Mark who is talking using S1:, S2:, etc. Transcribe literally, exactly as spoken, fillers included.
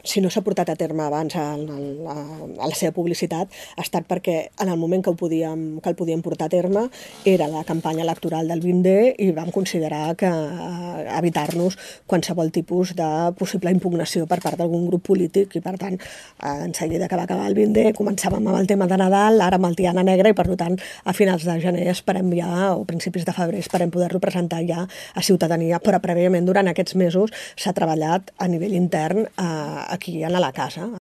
S1: si no s'ha portat a terme abans a, a, a la seva publicitat, ha estat perquè en el moment que, ho podíem, que el podíem portar a terme era la campanya electoral del vint D i vam considerar que eh, evitar-nos qualsevol tipus de possible impugnació per part d'algun grup polític i, per tant, eh, en seguida que va acabar el vint D començàvem amb el tema de Nadal, ara amb el Tiana Negra i, per tant, a finals de gener esperem ja, o principis de febrer, esperem poder-lo presentar ja a ciutadania, però prèviament durant aquests mesos s'ha treballat a nivell intern eh, aquí a la casa.